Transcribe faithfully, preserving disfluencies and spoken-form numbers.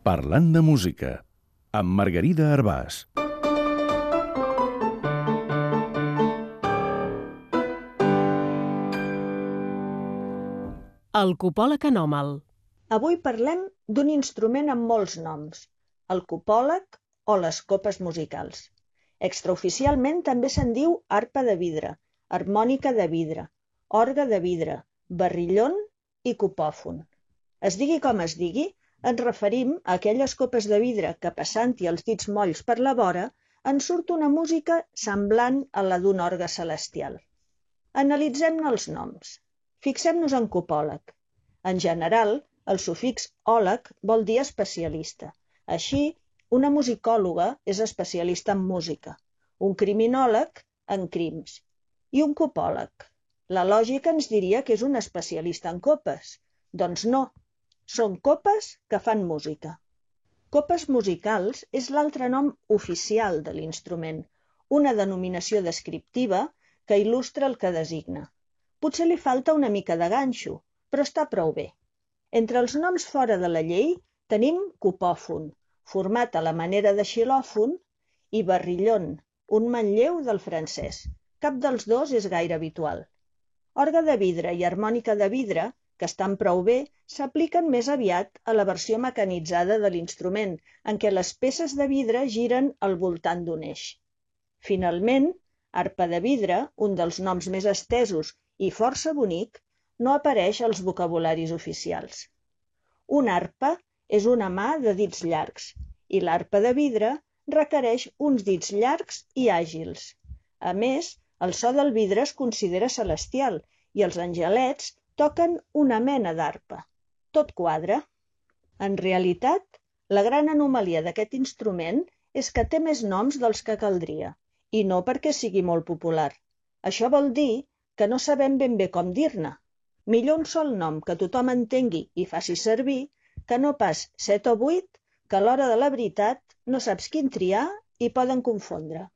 Parlant de música, amb Margarida Arbàs. El copòleg anòmal. Avui parlem d'un instrument amb molts noms, el copòleg o les copes musicals. Extraoficialment també se'n diu arpa de vidre, harmònica de vidre, orgue de vidre, barrillon i copòfon. Es digui com es digui, ens referim a aquelles copes de vidre que, passant-hi els dits molls per la vora, en surt una música semblant a la d'un orgue celestial. Analitzem-ne els noms. Fixem-nos en copòleg. En general, el sufix òleg vol dir especialista. Així, una musicòloga és especialista en música, un criminòleg en crims i un copòleg. La lògica ens diria que és un especialista en copes. Doncs no, són copes que fan música. Copes musicals és l'altre nom oficial de l'instrument, una denominació descriptiva que il·lustra el que designa. Potser li falta una mica de ganxo, però està prou bé. Entre els noms fora de la llei tenim copòfon, format a la manera de xilòfon, i barrillon, un manlleu del francès. Cap dels dos és gaire habitual. Orgue de vidre i harmònica de vidre, que estan prou bé, s'apliquen més aviat a la versió mecanitzada de l'instrument, en què les peces de vidre giren al voltant d'un eix. Finalment, arpa de vidre, un dels noms més estesos i força bonic, no apareix als vocabularis oficials. Una arpa és una mà de dits llargs i l'arpa de vidre requereix uns dits llargs i àgils. A més, el so del vidre es considera celestial i els angelets toquen una mena d'arpa. Tot quadra. En realitat, la gran anomalia d'aquest instrument és que té més noms dels que caldria, i no perquè sigui molt popular. Això vol dir que no sabem ben bé com dir-ne. Millor un sol nom que tothom entengui i faci servir, que no pas set o vuit, que a l'hora de la veritat no saps quin triar i poden confondre.